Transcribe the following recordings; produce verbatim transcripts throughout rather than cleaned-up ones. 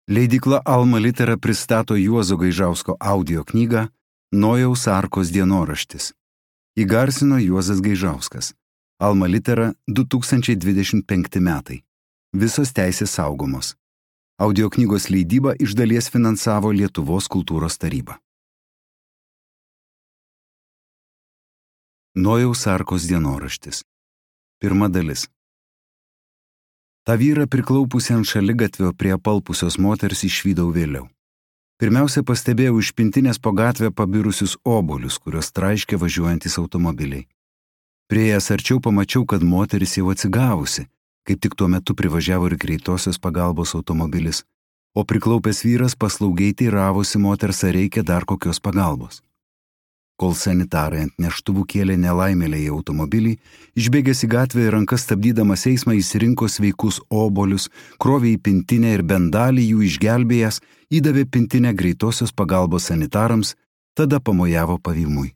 Leidykla Alma Litera pristato Juozo Gaižausko audio knygą Nojaus arkos dienoraštis. Įgarsino Juozas Gaižauskas. Alma Litera du tūkstančiai dvidešimt penkti metai. Visos teisės saugomos. Audio knygos leidybą iš dalies finansavo Lietuvos kultūros taryba. Nojaus arkos dienoraštis. Pirma dalis. Ta vyrą priklaupusį ant šaligatvio prie apalpusios moters išvydau vėliau. Pirmiausia pastebėjau iš pintinės po gatvę pabirusius obuolius, kurios traiškė važiuojantis automobiliai. Prieėjęs arčiau pamačiau, kad moteris jau atsigavusi, kaip tik tuo metu privažiavo ir greitosios pagalbos automobilis, o priklaupęs vyras paslaugiai teiravosi moters, ar reikia dar kokios pagalbos. Kol sanitarai ant neštuvų kėlė nelaimėlę į automobilį, išbėgęs į gatvę ir rankas stabdydamas eismą įsirinko sveikus obuolius, krovė į pintinę ir bent dalį jų išgelbėjęs, įdavė pintinę greitosios pagalbos sanitarams, tada pamojavo pavymui.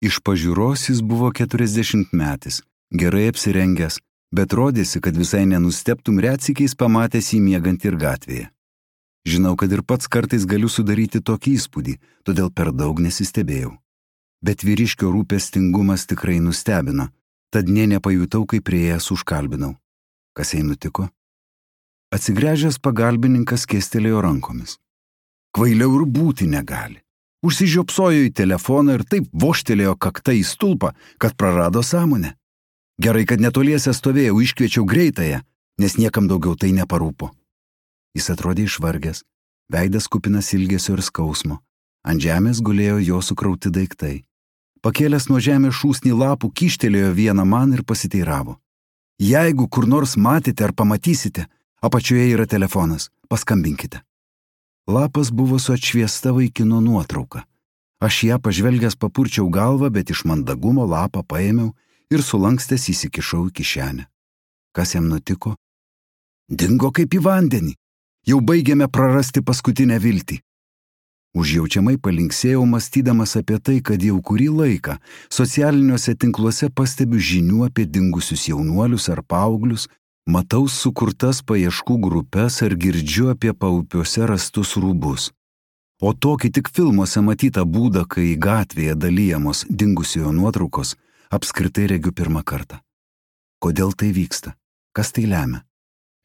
Iš pažiūros jis buvo keturiasdešimtmetis, gerai apsirengęs, bet rodėsi, kad visai nenustebtum retsykiais pamatęs jį miegant ir gatvėje. Žinau, kad ir pats kartais galiu sudaryti tokį įspūdį, todėl per daug nesistebėjau. Bet vyriškio rūpestingumas tikrai nustebino, tad nė nepajutau, kaip prieėjęs užkalbinau. Kas jai nutiko? Atsigręžęs pagalbininkas kėstelėjo rankomis. Kvailiau ir būti negali. Užsižiopsojo į telefoną ir taip vožtelėjo kakta į stulpą, kad prarado sąmonę. Gerai, kad netoliese stovėjau, iškviečiau greitąją, nes niekam daugiau tai neparūpo. Jis atrodė išvargęs, veidas kupinas ilgesio ir skausmo. Ant žemės gulėjo jo sukrauti daiktai. Pakėlęs nuo žemės šūsnį lapų, kyštelėjo vieną man ir pasiteiravo. Jeigu kur nors matėte ar pamatysite, apačioje yra telefonas, paskambinkite. Lapas buvo su atšviesta vaikino nuotrauka. Aš ją pažvelgęs papurčiau galvą, bet iš mandagumo lapą paėmiau ir sulankstęs įsikišau į kišenę. Kas jam nutiko? Dingo kaip į vandenį. Jau baigėme prarasti paskutinę viltį. Užjaučiamai palinksėjau, mąstydamas apie tai, kad jau kurį laiką socialiniuose tinkluose pastebiu žinių apie dingusius jaunuolius ar paauglius, matau sukurtas paieškų grupes ar girdžiu apie paupiuose rastus rūbus. O tokį tik filmuose matytą būdą, kai gatvėje dalyjamos dingusiojo nuotraukos, apskritai regiu pirmą kartą. Kodėl tai vyksta? Kas tai lemia?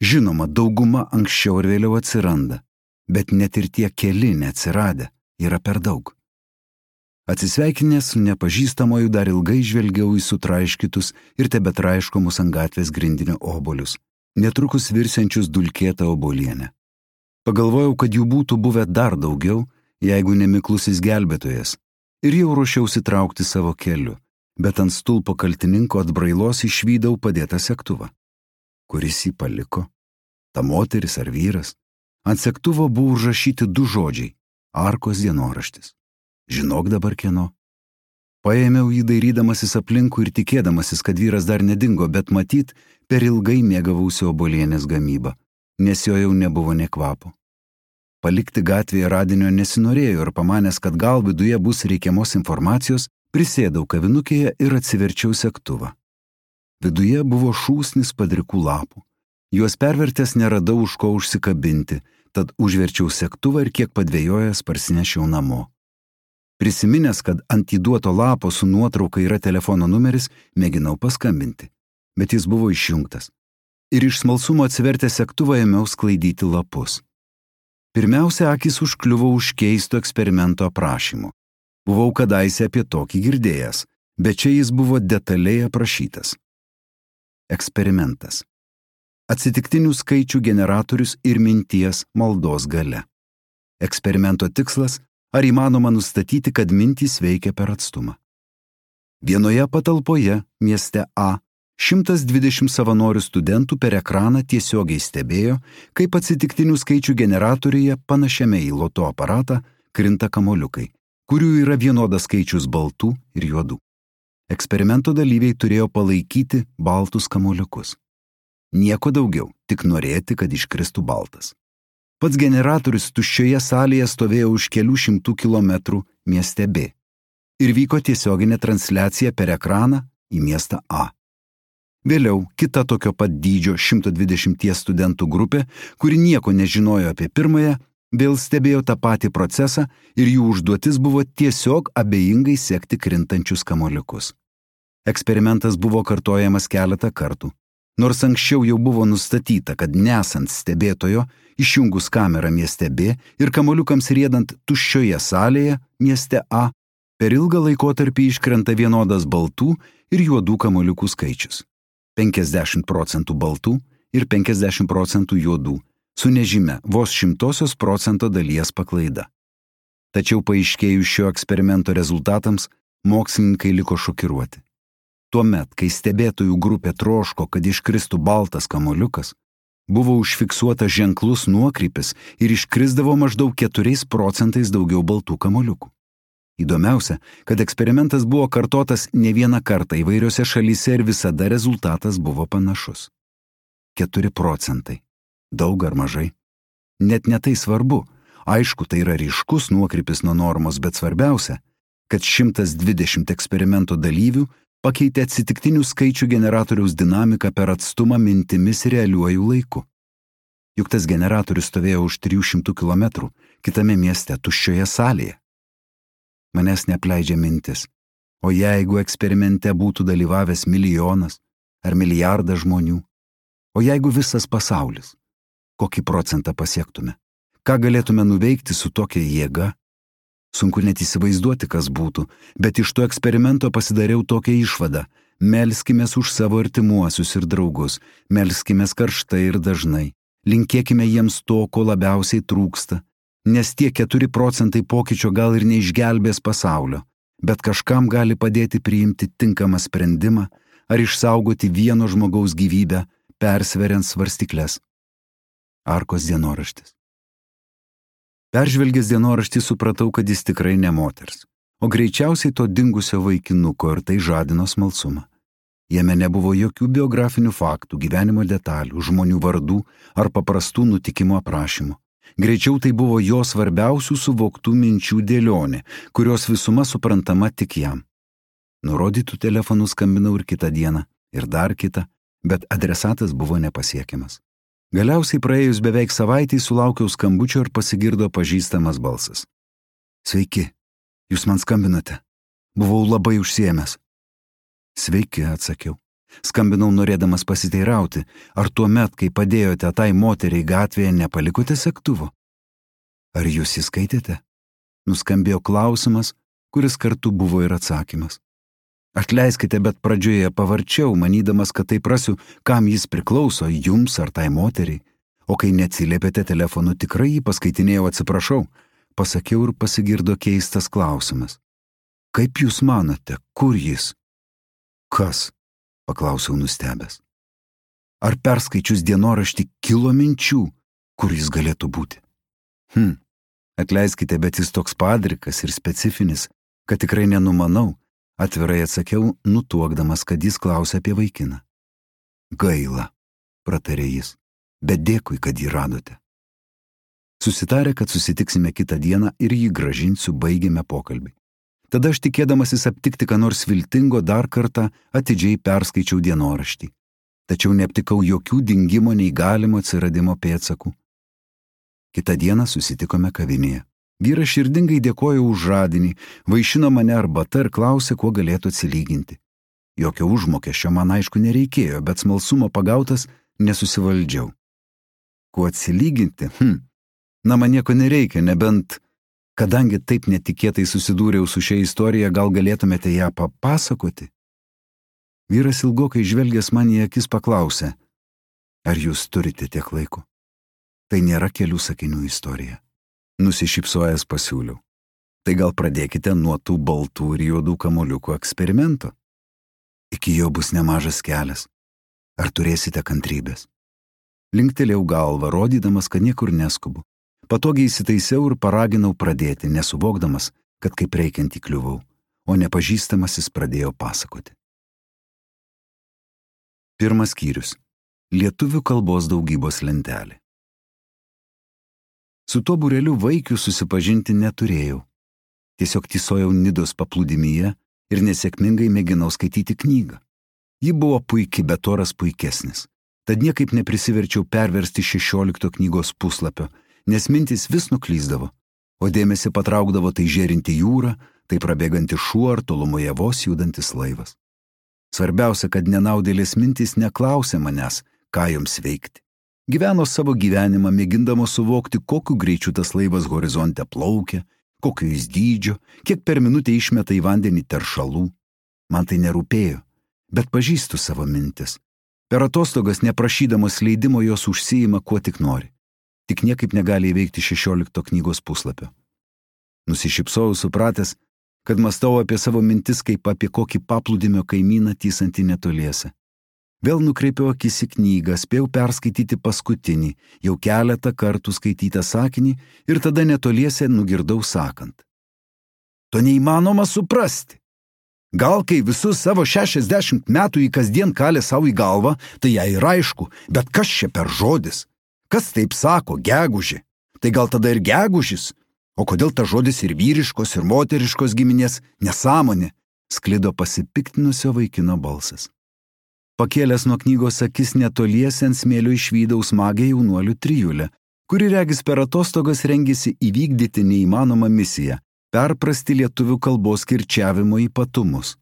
Žinoma, dauguma anksčiau ir vėliau atsiranda. Bet net ir tie keli neatsiradę yra per daug. Atsisveikinęs su nepažįstamoju dar ilgai žvelgiau į sutraiškytus ir tebetraiškomus ant gatvės grindinio obuolius, netrukus virsiančius dulkėtą obuolienę. Pagalvojau, kad jų būtų buvę dar daugiau, jeigu nemiklusis gelbėtojas, ir jau ruošiausi traukti savo keliu, bet ant stulpo kaltininko atbrailos išvydau padėtą segtuvą. Kuris jį paliko? Ta moteris ar vyras? Ant segtuvo buvo užrašyti du žodžiai – arkos dienoraštis. Žinok dabar kieno. Paėmiau jį dairydamasis aplinkui ir tikėdamasis, kad vyras dar nedingo, bet matyt, per ilgai mėgavausi obuolienės gamybą, nes jo jau nebuvo nė kvapo. Palikti gatvėje radinio nesinorėjo ir pamanęs, kad gal viduje bus reikiamos informacijos, prisėdau kavinukėje ir atsiverčiau segtuvą. Viduje buvo šūsnis padrikų lapų. Juos pervertęs neradau už ko užsikabinti, tad užverčiau segtuvą ir kiek padvėjojęs parsinešiau namo. Prisiminęs, kad ant įduoto lapo su nuotrauka yra telefono numeris, mėginau paskambinti, bet jis buvo išjungtas. Ir iš smalsumo atsivertęs segtuvą ėmiau sklaidyti lapus. Pirmiausia, akis užkliuvo už keisto eksperimento aprašymu. Buvau kadaise apie tokį girdėjęs, bet čia jis buvo detaliai aprašytas. Eksperimentas. Atsitiktinių skaičių generatorius ir minties maldos galia. Eksperimento tikslas – ar įmanoma nustatyti, kad mintys veikia per atstumą. Vienoje patalpoje, mieste A, šimtas dvidešimt savanorių studentų per ekraną tiesiogiai stebėjo, kaip atsitiktinių skaičių generatoriuje panašiame į loto aparatą krinta kamoliukai, kurių yra vienodas skaičius baltų ir juodų. Eksperimento dalyviai turėjo palaikyti baltus kamoliukus. Nieko daugiau, tik norėti, kad iškristų baltas. Pats generatorius tuščioje salėje stovėjo už kelių šimtų kilometrų mieste B. Ir vyko tiesioginė transliacija per ekraną į miestą A. Vėliau kita tokio pat dydžio šimto dvidešimties studentų grupė, kuri nieko nežinojo apie pirmąją, vėl stebėjo tą patį procesą ir jų užduotis buvo tiesiog abejingai sekti krintančius kamuoliukus. Eksperimentas buvo kartojamas keletą kartų, nors anksčiau jau buvo nustatyta, kad nesant stebėtojo, išjungus kamerą mieste B ir kamuoliukams riedant tuščioje salėje mieste A, per ilgą laikotarpį iškrenta vienodas baltų ir juodų kamuoliukų skaičius – penkiasdešimt procentų baltų ir penkiasdešimt procentų juodų, su nežymia vos šimtosios procento dalies paklaida. Tačiau paaiškėjus šio eksperimento rezultatams, mokslininkai liko šokiruoti. Tuomet, kai stebėtojų grupė troško, kad iškristų baltas kamuoliukas, buvo užfiksuotas ženklus nuokrypis ir iškrisdavo maždaug keturiais procentais daugiau baltų kamuoliukų. Įdomiausia, kad eksperimentas buvo kartotas ne vieną kartą įvairiose šalyse ir visada rezultatas buvo panašus. keturi procentai. Daug ar mažai? Net ne tai svarbu. Aišku, tai yra ryškus nuokrypis nuo normos, bet svarbiausia, kad šimtas dvidešimt eksperimento dalyvių pakeitė atsitiktinių skaičių generatoriaus dinamiką per atstumą mintimis realiuoju laiku. Juk tas generatorius stovėjo už trijų šimtų kilometrų, kitame mieste, tuščioje salėje. Manęs neapleidžia mintis, o jeigu eksperimente būtų dalyvavęs milijonas ar milijardas žmonių, o jeigu visas pasaulis, kokį procentą pasiektume? Ką galėtume nuveikti su tokia jėga? Sunku net įsivaizduoti, kas būtų, bet iš to eksperimento pasidariau tokią išvadą. Melskimės už savo artimuosius ir draugus, melskimės karštai ir dažnai, linkėkime jiems to, ko labiausiai trūksta, nes tie keturi procentai pokyčio gal ir neišgelbės pasaulio, bet kažkam gali padėti priimti tinkamą sprendimą ar išsaugoti vieno žmogaus gyvybę, persveriant svarstykles. Arkos dienoraštis. Peržvelgęs dienoraštį supratau, kad jis tikrai ne moters, o greičiausiai to dingusio vaikinuko ir tai žadino smalsumą. Jame nebuvo jokių biografinių faktų, gyvenimo detalių, žmonių vardų ar paprastų nutikimo aprašymų. Greičiau tai buvo jo svarbiausių suvoktų minčių dėlionė, kurios visuma suprantama tik jam. Nurodytų telefonų skambinau ir kitą dieną, ir dar kitą, bet adresatas buvo nepasiekiamas. Galiausiai praėjus beveik savaitei sulaukiau skambučio ir pasigirdo pažįstamas balsas. Sveiki, jūs man skambinote. Buvau labai užsiėmęs. Sveiki, atsakiau. Skambinau norėdamas pasiteirauti, ar tuomet, kai padėjote tai moteriai gatvėje, nepalikote segtuvo? Ar jūs įskaitėte? Nuskambėjo klausimas, kuris kartu buvo ir atsakymas. Atleiskite, bet pradžioje pavarčiau, manydamas, kad tai prasiu, kam jis priklauso, jums ar tai moteriai. O kai neatsiliepėte telefonu, tikrai jį paskaitinėjau, atsiprašau, pasakiau ir pasigirdo keistas klausimas. Kaip jūs manote, kur jis? Kas? Paklausiau nustebęs. Ar perskaičius dienoraštį kilo minčių, kur jis galėtų būti? Hm, atleiskite, bet jis toks padrikas ir specifinis, kad tikrai nenumanau, atvirai atsakiau, nutuokdamas, kad jis klausia apie vaikiną. Gaila, pratarė jis, bet dėkui, kad jį radote. Susitarė, kad susitiksime kitą dieną ir jį grąžinsiu, baigėme pokalbį. Tada aš tikėdamasis aptikti ką nors viltingo dar kartą atidžiai perskaičiau dienoraštį, tačiau neaptikau jokių dingimo nei galimo atsiradimo pėdsakų. Kitą dieną susitikome kavinėje. Vyras širdingai dėkojo už žadinį, vaišino mane arbata ir klausė, kuo galėtų atsilyginti. Jokio užmokesčio man aišku nereikėjo, bet smalsumo pagautas nesusivaldžiau. Kuo atsilyginti? Hm, na man nieko nereikia, nebent, kadangi taip netikėtai susidūriau su šia istorija, gal galėtumėte ją papasakoti? Vyras ilgokai žvelgęs man į akis paklausė, ar jūs turite tiek laiko? Tai nėra kelių sakinių istorija. Nusišypsojęs pasiūliau. Tai gal pradėkite nuo tų baltų ir juodų kamuoliukų eksperimento. Iki jo bus nemažas kelias. Ar turėsite kantrybės? Linktelėjau galvą, rodydamas, kad niekur neskubu. Patogiai įsitaisiau ir paraginau pradėti, nesuvokdamas, kad kaip reikiant įkliuvau, o nepažįstamasis pradėjo pasakoti. Pirmas skyrius. Lietuvių kalbos daugybos lentelė. Su tuo būreliu vaikių susipažinti neturėjau. Tiesiog tysojau Nidos paplūdimyje ir nesėkmingai mėginau skaityti knygą. Ji buvo puiki, bet oras puikesnis. Tad niekaip neprisiverčiau perversti šešiolikto knygos puslapio, nes mintys vis nuklyzdavo, o dėmesį patraukdavo tai žėrinti jūra, tai prabėganti šuo ar tolumoje vos judantis laivas. Svarbiausia, kad nenaudėlės mintys neklausė manęs, ką joms veikti. Gyveno savo gyvenimą, mėgindama suvokti, kokiu greičiu tas laivas horizonte plaukia, kokio jis dydžio, kiek per minutę išmeta į vandenį teršalų. Man tai nerūpėjo, bet pažįstu savo mintis. Per atostogas neprašydamos leidimo jos užsiima kuo tik nori. Tik niekaip negali įveikti šešiolikto knygos puslapio. Nusišypsojau supratęs, kad mąstau apie savo mintis kaip apie kokį paplūdimio kaimyną tysantį netoliese. Vėl nukreipiau akis į knygą, spėjau perskaityti paskutinį, jau keletą kartų skaitytą sakinį ir tada netoliese nugirdau sakant. To neįmanoma suprasti. Gal kai visus savo šešiasdešimt metų į kasdien kalė savo į galvą, tai jai ir aišku, bet kas čia per žodis? Kas taip sako, gegužė? Tai gal tada ir gegužis? O kodėl ta žodis ir vyriškos, ir moteriškos giminės nesąmonė? Sklido pasipiktinusio vaikino balsas. Pakėlęs nuo knygos akis netoliese ant smėlio išvydau smagią jaunuolių trijulę, kuri regis per atostogas rengėsi įvykdyti neįmanomą misiją – perprasti lietuvių kalbos kirčiavimo ypatumus.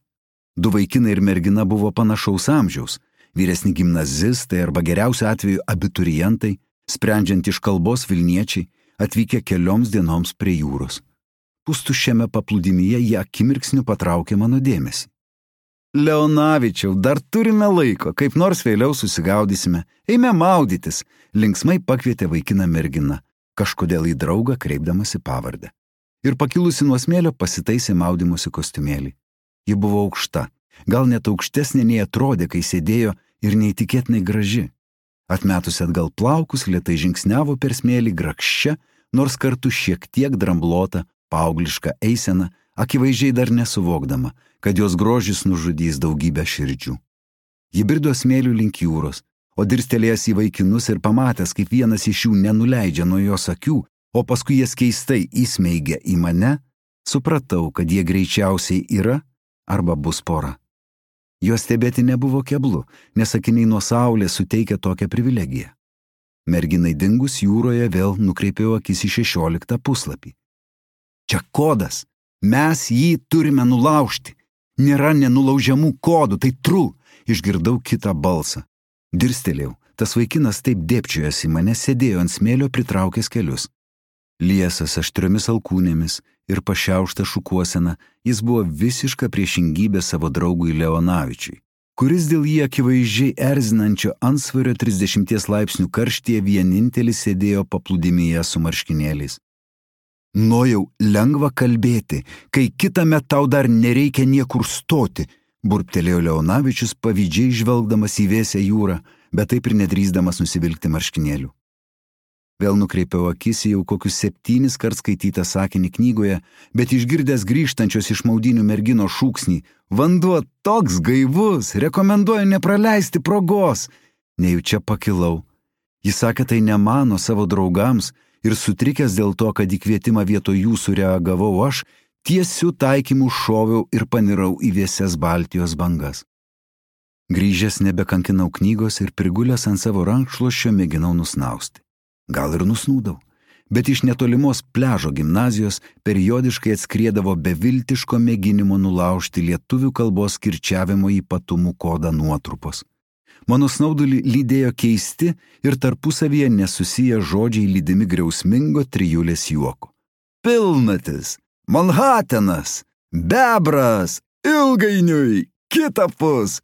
Du vaikinai ir mergina buvo panašaus amžiaus, vyresni gimnazistai arba geriausiu atveju abiturientai, sprendžiant iš kalbos Vilniečiai, atvykę kelioms dienoms prie jūros. Pustuščiame paplūdimyje jie akimirksniu patraukė mano dėmesį. Leonavičiau, dar turime laiko, kaip nors vėliau susigaudysime, eime maudytis, linksmai pakvietė vaikiną mergina, kažkodėl į draugą kreipdamasi pavardę. Ir pakilusi nuo smėlio pasitaisė maudymosi kostiumėlį. Ji buvo aukšta, gal net aukštesnė nei atrodė, kai sėdėjo ir neįtikėtinai graži. Atmetusi atgal plaukus, lėtai žingsniavo per smėlį grakščia, nors kartu šiek tiek dramblota, paaugliška eisena, akivaizdžiai dar nesuvokdama, kad jos grožis nužudys daugybę širdžių. Ji brido smėlių link jūros, o dirstelėjęs į vaikinus ir pamatęs, kaip vienas iš jų nenuleidžia nuo jos akių, o paskui jas keistai įsmeigia į mane, supratau, kad jie greičiausiai yra arba bus pora. Jos stebėti nebuvo keblu, nes akiniai nuo saulės suteikia tokią privilegiją. Merginai dingus jūroje vėl nukreipiau akis į šešioliktą puslapį. Čia kodas. Mes jį turime nulaužti. Nėra nenulaužiamų kodų, tai tru. Išgirdau kitą balsą. Dirstelėjau. Tas vaikinas taip dėpčiojęs į mane sėdėjo ant smėlio pritraukęs kelius. Liesas aštriomis alkūnėmis ir pašiaušta šukuosena, jis buvo visiška priešingybė savo draugui Leonavičiui, kuris dėl jį akivaizdžiai erzinančio antsvario trisdešimties laipsnių karštyje vienintelis sėdėjo paplūdimyje su marškinėliais. Nojau lengva kalbėti, kai kitąmet tau dar nereikia niekur stoti, burbtelėjo Leonavičius pavydžiai žvelgdamas į vėsią jūrą, bet taip ir nedrįsdamas nusivilkti marškinėlių. Vėl nukreipiau akis į jau kokius septynis kart skaitytą sakinį knygoje, bet išgirdęs grįžtančios iš maudynių mergino šūksnį, vanduo toks gaivus, rekomenduoju nepraleisti progos. Nejučia pakilau. Jis sakė tai ne mano savo draugams ir sutrikęs dėl to, kad į kvietimą vietoj jų sureagavau aš, tiesiu taikymu šoviau ir panirau į vėsias Baltijos bangas. Grįžęs nebekankinau knygos ir prigulęs ant savo rankšluosčio mėginau nusnausti. Gal ir nusnūdau, bet iš netolimos pliažo gimnazijos periodiškai atskriedavo beviltiško mėginimo nulaužti lietuvių kalbos kirčiavimo ypatumų kodą nuotrupos. Mano snaudulį lydėjo keisti ir tarpusavyje nesusiję žodžiai lydimi griausmingo trijulės juoko. Pilnatis, Manhatenas, bebras, ilgainiui, kitapus.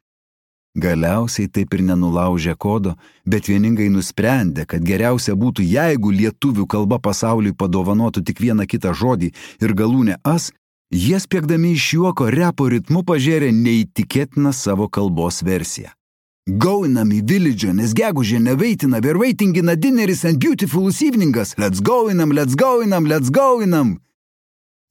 Galiausiai taip ir nenulaužė kodo, bet vieningai nusprendė, kad geriausia būtų, jeigu lietuvių kalba pasauliui padovanotų tik vieną kitą žodį ir galūnę as, jie spiegdami iš juoko repo ritmu pažėrė neįtikėtiną savo kalbos versiją. Goinam į village'ą, nes gegužė neveitina, we're waiting in a dinneris and beautiful eveningas, let's goinam, let's goinam, let's goinam.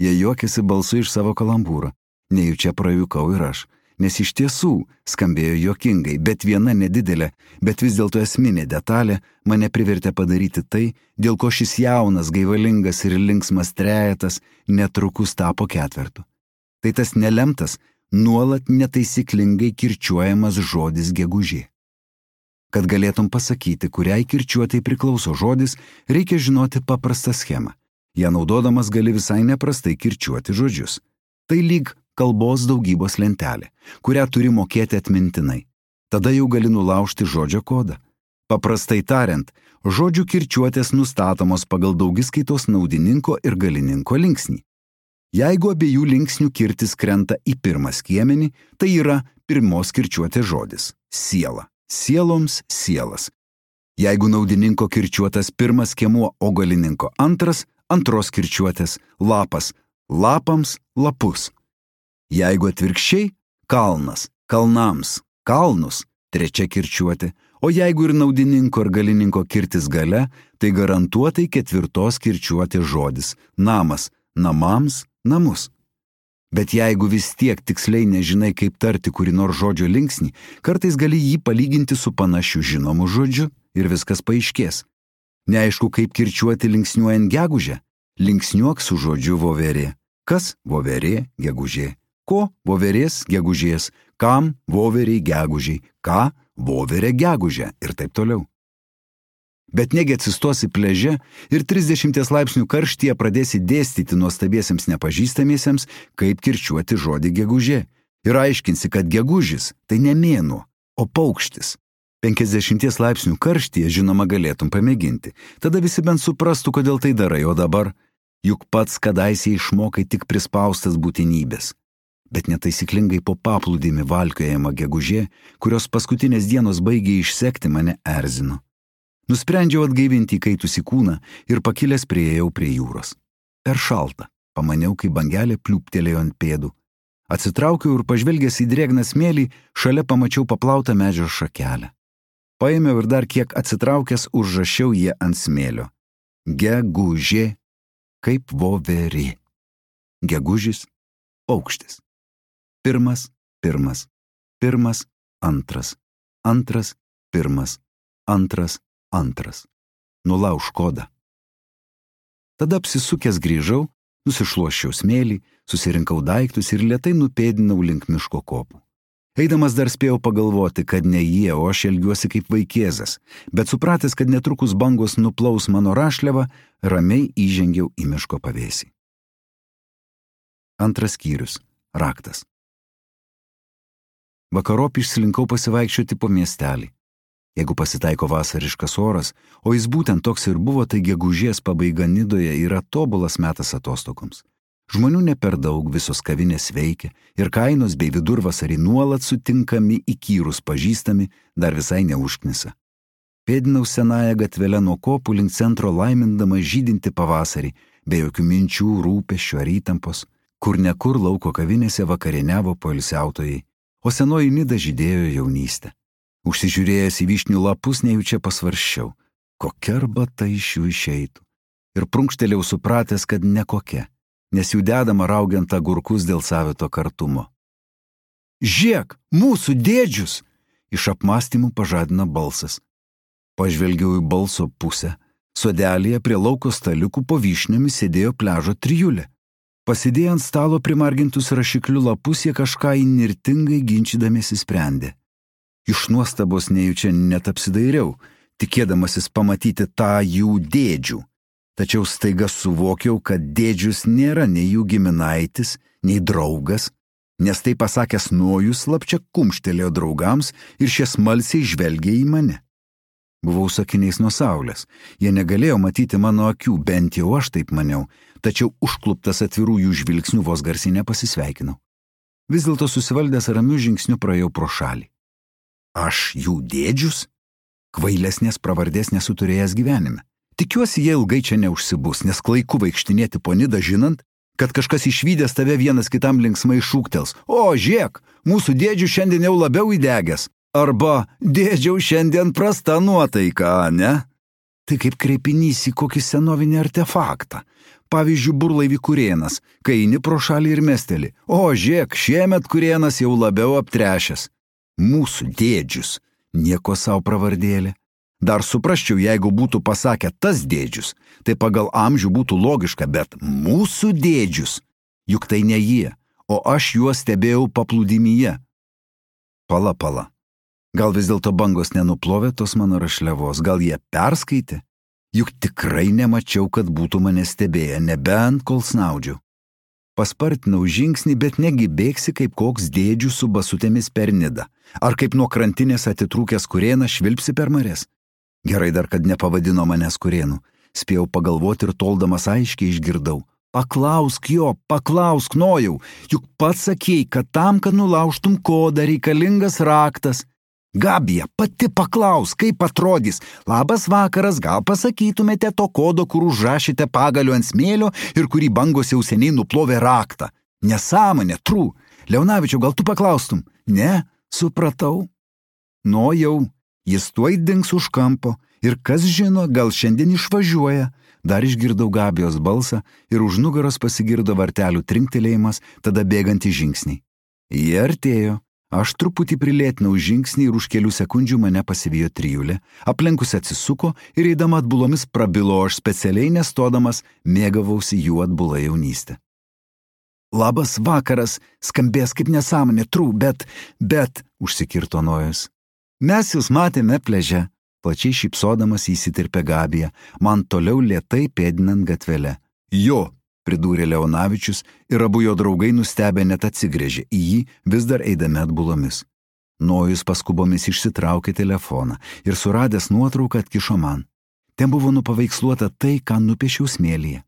Jie juokėsi balsu iš savo kalambūro, nejučia prajuokau ir aš. Nes iš tiesų skambėjo juokingai, bet viena nedidelė, bet vis dėlto esminė detalė mane privertė padaryti tai, dėl ko šis jaunas, gaivalingas ir linksmas trejetas netrukus tapo ketvertu. Tai tas nelemtas, nuolat netaisyklingai kirčiuojamas žodis gegužė. Kad galėtum pasakyti, kuriai kirčiuotai priklauso žodis, reikia žinoti paprastą schemą. Ja naudodamas gali visai neprastai kirčiuoti žodžius. Tai lyg kalbos daugybos lentelė, kurią turi mokėti atmintinai. Tada jau gali nulaužti žodžio kodą. Paprastai tariant, žodžių kirčiuotės nustatomos pagal daugiskaitos naudininko ir galininko linksnį. Jeigu abiejų linksnių kirtis krenta į pirmą skiemenį, tai yra pirmos kirčiuotės žodis – siela. Sieloms – sielas. Jeigu naudininko kirčiuotas pirmas skiemuo, o galininko antras – antros kirčiuotės – lapas. Lapams – lapus. Jeigu atvirkščiai – kalnas, kalnams, kalnus – trečia kirčiuotė, o jeigu ir naudininko ir galininko kirtis gale, tai garantuotai ketvirtos kirčiuotės žodis – namas, namams, namus. Bet jeigu vis tiek tiksliai nežinai, kaip tarti kurį nors žodžio linksnį, kartais gali jį palyginti su panašiu žinomu žodžiu ir viskas paaiškės. Neaišku, kaip kirčiuoti linksniuojant gegužę? Linksniuok su žodžiu voverė. Kas? Voverė, gegužė. Ko? Voverės, gegužės. Kam? Voveriai, gegužiai. Ką? Voverė, gegužė. Ir taip toliau. Bet negi atsistosi pliaže ir trisdešimties laipsnių karštyje pradėsi dėstyti nuostabiesiems nepažįstamiesiems, kaip kirčiuoti žodį gegužė. Ir aiškinsi, kad gegužis tai ne mėnuo, o paukštis. penkiasdešimties laipsnių karštyje, žinoma, galėtum pamėginti. Tada visi bent suprastų, kodėl tai darai, o dabar juk pats kadaise išmokai tik prispaustas būtinybės. Bet netaisyklingai po paplūdimį valkiojama gegužė, kurios paskutinės dienos baigė išsekti, mane erzino. Nusprendžiau atgaivinti įkaitusį kūną ir pakilęs priėjau prie jūros. Per šalta, pamaniau, kai bangelė pliūptelėjo ant pėdų. Atsitraukiau ir pažvelgęs į drėgną smėlį, šalia pamačiau paplautą medžio šakelę. Paėmiau ir dar kiek atsitraukęs užrašiau ją ant smėlio. Gegužė, kaip voverė. Gegužis, paukštis. Pirmas, pirmas, pirmas, antras, antras, pirmas, antras, antras. Nulauž kodą. Tada apsisukęs grįžau, nusišluosčiau smėlį, susirinkau daiktus ir lėtai nupėdinau link miško kopų. Eidamas dar spėjau pagalvoti, kad ne jie, o aš elgiuosi kaip vaikėzas, bet supratęs, kad netrukus bangos nuplaus mano rašliavą, ramiai įžengiau į miško pavėsį. Antras skyrius. Raktas. Vakarop išslinkau pasivaikščioti po miestelį. Jeigu pasitaiko vasariškas oras, o jis būtent toks ir buvo, tai gegužės pabaiga Nidoje yra tobulas metas atostogoms. Žmonių ne per daug, visos kavinės veikia ir kainos bei vidurvasarį nuolat sutinkami įkyrus pažįstami dar visai neužknisa. Pėdinau senąją gatvelę nuo kopų link centro laimindama žydinti pavasarį, be jokių minčių, rūpesčių ar įtampos, kur nekur lauko kavinėse vakarieniavo poilsiautojai, o senoji Nida žydėjo jaunystę. Užsižiūrėjęs į vyšnių lapus nejučia pasvarščiau, kokia arbata iš jų išeitų. Ir prunkštelėjau supratęs, kad ne kokia, nes jų dedama raugiant agurkus dėl savito kartumo. Žiek, mūsų dėdžius! Iš apmąstymų pažadina balsas. Pažvelgiau į balso pusę. Sodelėje prie lauko staliukų po vyšniomis sėdėjo pliažo trijulė. Pasidėję ant stalo primargintus rašiklių lapus, jie kažką įnirtingai ginčydamiesi sprendė. Iš nuostabos nejučia net apsidairiau, tikėdamasis pamatyti tą jų dėdžių. Tačiau staiga suvokiau, kad dėdžius nėra nei jų giminaitis, nei draugas, nes tai pasakęs Nojus slapčia kumštelėjo draugams ir šie smalsiai žvelgė į mane. Buvau sakiniais nuo saulės, jie negalėjo matyti mano akių, bent jau aš taip maniau, tačiau užkluptas atvirų jų žvilgsnių vos garsiai nepasisveikinau. Vis dėlto susivaldęs ramiu žingsniu praėjau pro šalį. Aš jų dėdžius? Kvailesnės pravardės nesu turėjęs gyvenime. Tikiuosi, jie ilgai čia neužsibus, nes klaiku vaikštinėti po Nidą žinant, kad kažkas išvydęs tave vienas kitam linksmai šūktels. O, žiek, mūsų dėdžių šiandien jau labiau įdegęs. Arba, dėdžiau šiandien prasta nuotaika, ne? Tai kaip kreipinys į kokį senovinį artefaktą. Pavyzdžiui, burlaivį Kurėnas, kai eini pro šalį ir mesteli. O, žiek, šiemet Kurėnas jau labiau aptrešęs. Mūsų dėdžius, nieko savo pravardėlė. Dar suprasčiau, jeigu būtų pasakę tas dėdžius, tai pagal amžių būtų logiška, bet mūsų dėdžius, juk tai ne jie, o aš juos stebėjau paplūdimyje. Pala, pala. Gal vis dėlto bangos nenuplovė tos mano rašliavos, gal jie perskaitė? Juk tikrai nemačiau, kad būtų mane stebėję, nebent kol snaudžiau. Paspartinau žingsnį, bet negi bėgsi kaip koks dėdžių su basutėmis per Nidą. Ar kaip nuo krantinės atitrūkęs kurėnas švilpsi per marias? Gerai dar, kad nepavadino manęs kurėnu. Spėjau pagalvoti ir toldamas aiškiai išgirdau. Paklausk jo, paklausk nojau, juk pats sakei, kad tam, kad nulaužtum kodą, reikalingas raktas. Gabija, pati paklausk, kaip atrodys. Labas vakaras, gal pasakytumėte to kodo, kur užrašėte pagaliu ant smėlio ir kurį bangos jau seniai nuplovė raktą. Nesąmonė, trū. Leonavičiau, gal tu paklaustum? Ne, supratau. Nojau, jis tuoj dings už kampo ir kas žino, gal šiandien išvažiuoja. Dar išgirdau Gabijos balsą ir už nugaros pasigirdo vartelių trinktelėjimas, tada bėgantį žingsnį. Jie artėjo. Aš truputį prilėtinau žingsnį ir už kelių sekundžių mane pasivijo trijulė, aplenkus atsisuko ir eidama atbulomis prabilo, aš specialiai nestodamas mėgavausi jų atbula jaunystę. Labas vakaras, skambės kaip nesąmonė, trū, bet, bet, užsikirto Nojus. Mes jūs matėme pliaže, plačiai šypsodamas įsitirpė Gabija, man toliau lėtai pėdinant gatvelę. Jo, pridūrė Leonavičius ir abu jo draugai nustebę net atsigrėžė į jį, vis dar eidami atbulomis. Nojus paskubomis išsitraukė telefoną ir suradęs nuotrauką atkišo man. Ten buvo nupaveiksluota tai, ką nupiešiau smėlyje.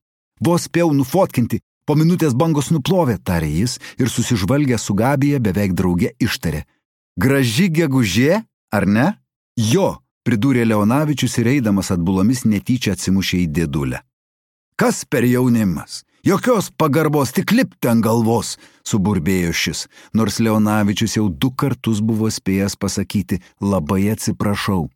Vos spėjau nufotkinti, po minutės bangos nuplovė, tarė jis ir susižvalgęs su Gabija beveik drauge ištarė. Graži gegužė, ar ne? Jo, pridūrė Leonavičius ir eidamas atbulomis netyčia atsimušė į dėdulę. Kas per jaunimas? Jokios pagarbos, tik lipti ant galvos, suburbėjo šis, nors Leonavičius jau du kartus buvo spėjęs pasakyti labai atsiprašau.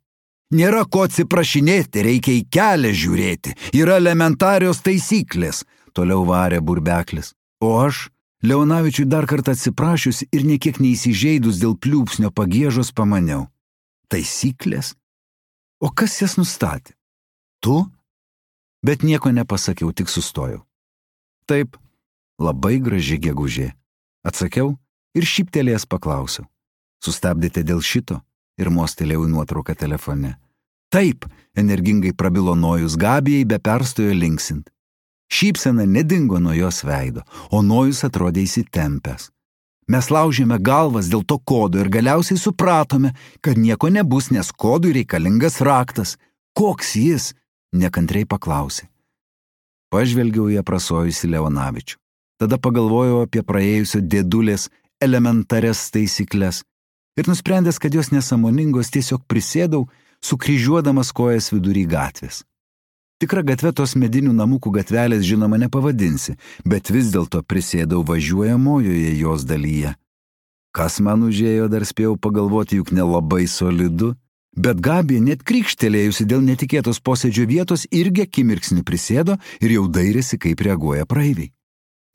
Nėra ko atsiprašinėti, reikia į kelią žiūrėti, yra elementarios taisyklės, toliau varė burbeklis. O aš, Leonavičiui dar kartą atsiprašius ir niekiek neįsižeidus dėl pliūpsnio pagiežos pamaniau. Taisyklės? O kas jas nustatė? Tu? Bet nieko nepasakiau, tik sustojau. Taip, labai graži gegužė. Atsakiau ir šyptelėjęs paklausiau. Sustabdėte dėl šito? Ir mostelėjau į nuotrauką telefone. Taip, energingai prabilo Nojus, Gabijai be perstojo linksint. Šypsena nedingo nuo jos veido, o Nojus atrodė įsitempęs. Mes laužėme galvas dėl to kodo ir galiausiai supratome, kad nieko nebus, nes kodui reikalingas raktas. Koks jis? Nekantriai paklausė. Pažvelgiau į aprasojusį Leonavičių. Tada pagalvojau apie praėjusio dėdulės elementarias taisyklės ir nusprendęs, kad jos nesąmoningos, tiesiog prisėdau, sukryžiuodamas kojas vidury gatvės. Tikra gatvė tos medinių namukų gatvelės žinoma nepavadinsi, bet vis dėlto prisėdau važiuojamojoje jos dalyje. Kas man užėjo, dar spėjau pagalvoti, juk nelabai solidu, bet Gabija net krykštelėjusi dėl netikėtos posėdžio vietos irgi akimirksnį prisėdo ir jau dairėsi, kaip reaguoja praeiviai.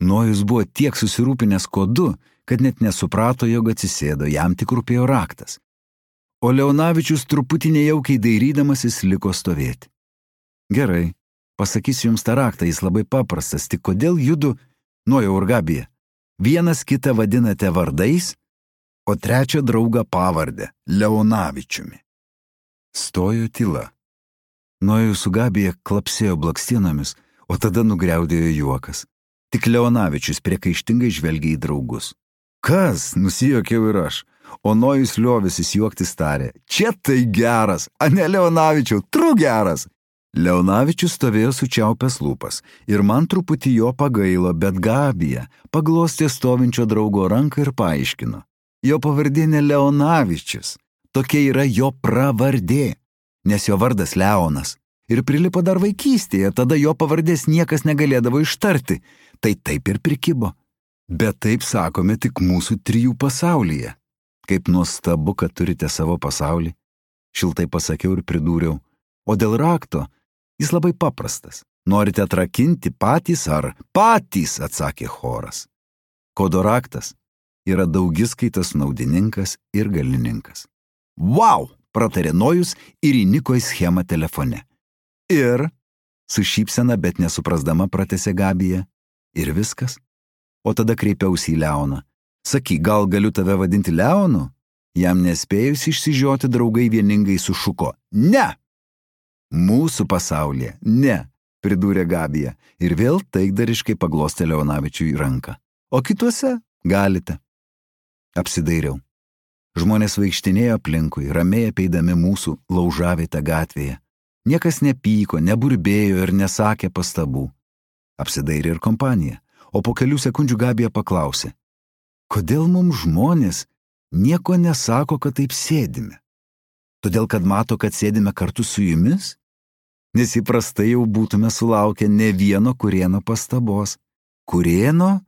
Nojus buvo tiek susirūpinęs kodu, kad net nesuprato, jog atsisėdo, jam tik rūpėjo raktas. O Leonavičius truputį nejaukiai dairydamasis liko stovėti. Gerai, pasakysiu jums tą raktą, jis labai paprastas, tik kodėl judu, Nojau ir Gabija, vienas kitą vadinate vardais, o trečią draugą pavardę Leonavičiumi. Stojo tyla. Nojus su Gabija klapsėjo blakstienomis, o tada nugriaudėjo juokas. Tik Leonavičius priekaištingai žvelgė į draugus. Kas? Nusijuokiau ir aš. O Nojus liovėsis juoktis tarė. Čia tai geras, a ne Leonavičiau, tru geras. Leonavičius stovėjo sučiaupęs lūpas ir man truputį jo pagailo, bet Gabija paglostė stovinčio draugo ranką ir paaiškino. Jo pavardė ne Leonavičius, tokia yra jo pravardė, nes jo vardas Leonas. Ir prilipo dar vaikystėje, tada jo pavardės niekas negalėdavo ištarti, tai taip ir prikibo. Bet taip sakome tik mūsų trijų pasaulyje. Kaip nuostabu, kad turite savo pasaulį. Šiltai pasakiau ir pridūriau. O dėl rakto, jis labai paprastas. Norite atrakinti patys ar patys, atsakė choras. Kodo raktas yra daugiskaitas naudininkas ir galininkas. Vau, pratarė Nojus ir įniko į schemą telefone. Ir, su šypsena, bet nesuprasdama pratęsė Gabija, ir viskas. O tada kreipiausi į Leoną. Sakyk, gal galiu tave vadinti Leonu? Jam nespėjus išsižioti draugai vieningai sušuko. Ne! Mūsų pasaulyje, ne, pridūrė Gabija ir vėl taikdariškai paglostė Leonavičiui ranką. O kituose galite. Apsidairiau. Žmonės vaikštinėjo aplinkui, ramiai apeidami mūsų laužavietę gatvėje. Niekas nepyko, neburbėjo ir nesakė pastabų. Apsidairė ir kompanija, o po kelių sekundžių Gabija paklausė. Kodėl mums žmonės nieko nesako, kad taip sėdime? Todėl, kad mato, kad sėdime kartu su jumis? Nes įprastai jau būtume sulaukę ne vieno Kurėno pastabos. Kurėno?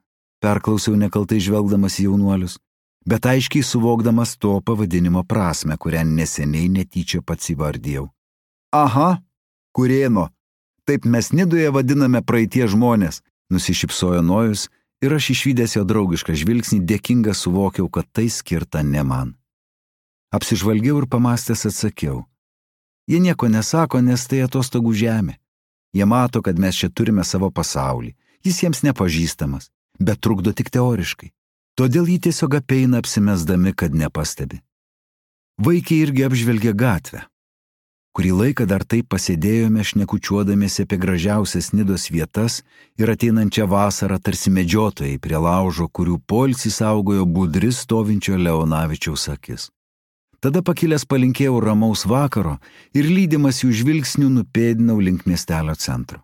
Perklausiau nekaltai žvelgdamas į jaunuolius, bet aiškiai suvokdamas to pavadinimo prasmę, kurią neseniai netyčia pats įvardijau. Aha, Kurėno. Taip mes Nidoje vadiname praeitie žmonės, nusišypsojo Nojus ir aš išvydęs jo draugišką žvilgsnį dėkinga suvokiau, kad tai skirta ne man. Apsižvalgiau ir pamastęs atsakiau. Jie nieko nesako, nes tai atostogų žemė. Jie mato, kad mes čia turime savo pasaulį. Jis jiems nepažįstamas, bet trukdo tik teoriškai. Todėl jį tiesiog apeina apsimesdami, kad nepastebi. Vaikai irgi apžvelgė gatvę. Kurį laiką dar taip pasėdėjome šnekučiuodamiesi apie gražiausias Nidos vietas ir ateinančią vasarą tarsi medžiotojai prie laužo, kurių poilsį saugojo budri stovinčio Leonavičiaus akis. Tada pakilęs palinkėjau ramaus vakaro ir lydimas jų žvilgsnių nupėdinau link miestelio centro.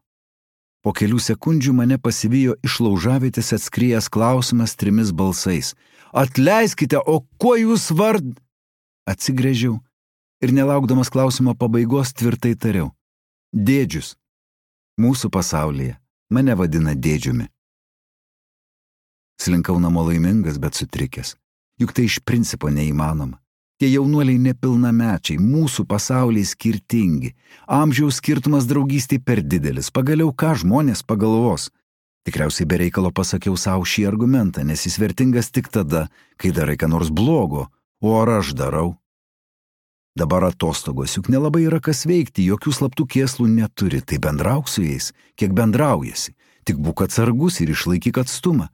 Po kelių sekundžių mane pasivijo iš laužavietės atskrijęs klausimas trimis balsais. Atleiskite, o kuo jūs vard... Atsigręžiau ir nelaukdamas klausimo pabaigos tvirtai tariau. Dėdžius. Mūsų pasaulyje mane vadina dėdžiumi. Slinkau namo laimingas, bet sutrikęs. Juk tai iš principo neįmanoma. Tie jaunuoliai nepilnamečiai, mūsų pasauliai skirtingi. Amžiaus skirtumas draugystei per didelis. Pagaliau ką žmonės pagalvos? Tikriausiai be reikalo pasakiau savo šį argumentą, nes jis vertingas tik tada, kai darai ką nors blogo, o ar aš darau? Dabar atostogos, juk nelabai yra kas veikti, jokių slaptų kėslų neturi, tai bendrauk su jais, kiek bendraujasi. Tik būk atsargus ir išlaikyk atstumą,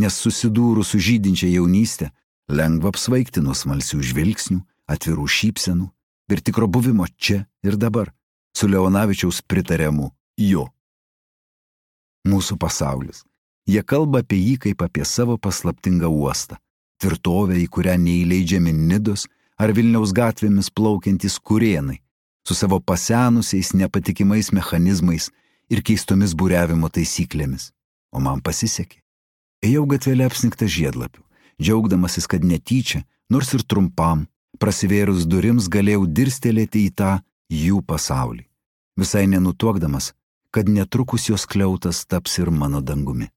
nes susidūrus su žydinčia jaunystė, lengva apsvaigti nuo smalsių žvilgsnių, atvirų šypsenų ir tikro buvimo čia ir dabar, su Leonavičiaus pritariamu jo. Mūsų pasaulis. Jie kalba apie jį kaip apie savo paslaptingą uostą, tvirtovę, į kurią neįleidžiami Nidos ar Vilniaus gatvėmis plaukiantys Kurėnai, su savo pasenusiais nepatikimais mechanizmais ir keistomis buriavimo taisyklėmis. O man pasisekė. Ėjau gatvelę apsnigtą žiedlapių. Džiaugdamasis, kad netyčia, nors ir trumpam, prasivėrus durims galėjau dirstelėti į tą jų pasaulį, visai nenutuokdamas, kad netrukus jos skliautas taps ir mano dangumi.